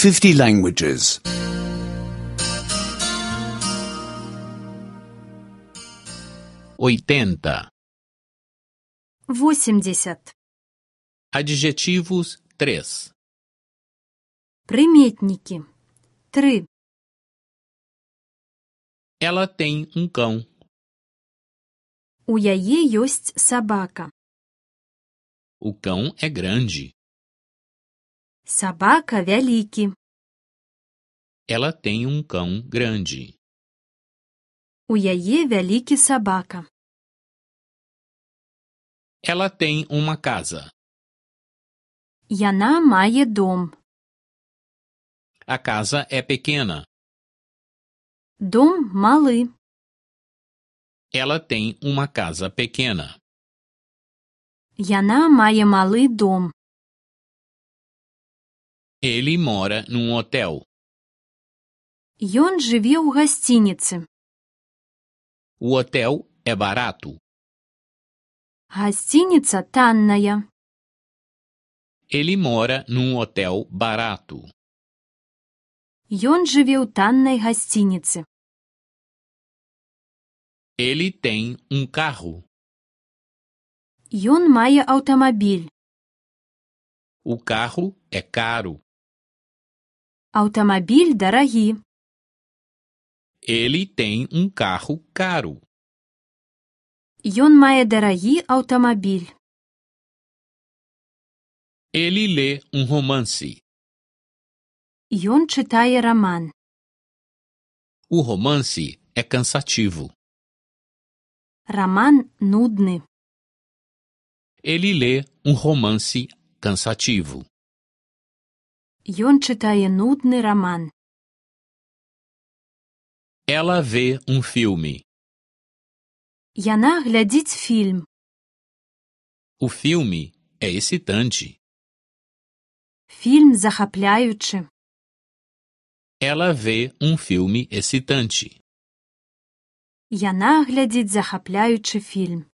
50 languages. 80. 80. Adjetivos 3. Приметники. 3. Ela tem um cão. У яе ёсць сабака. O cão é grande. Сабака вялікі. Ela tem um cão grande. У яе вялікі сабака. Ela tem uma casa. Яна мае дом. A casa é pequena. Дом малы. Ela tem uma casa pequena. Яна мае малы дом. Ele mora num hotel. Ён жыве ў гасцініцы. O hotel é barato. Гасцініца танная. Ele mora num hotel barato. Ён жыве ў таннай гасцініцы. Ele tem um carro. Ён мае аўтамабіль. O carro é caro. Аўтамабіль дарагі. Ele tem um carro caro. Ён мае дарагі аўтамабіль. Ele lê um romance. Ён чытае раман. O romance é cansativo. Раман нудны. Ele lê um romance cansativo. Ён чытае нудны раман. Ela vê um filme. Яна глядзіць фільм. O filme é excitante. Фільм захапляючы. Ela vê um filme excitante. Яна глядзіць захапляючы фільм.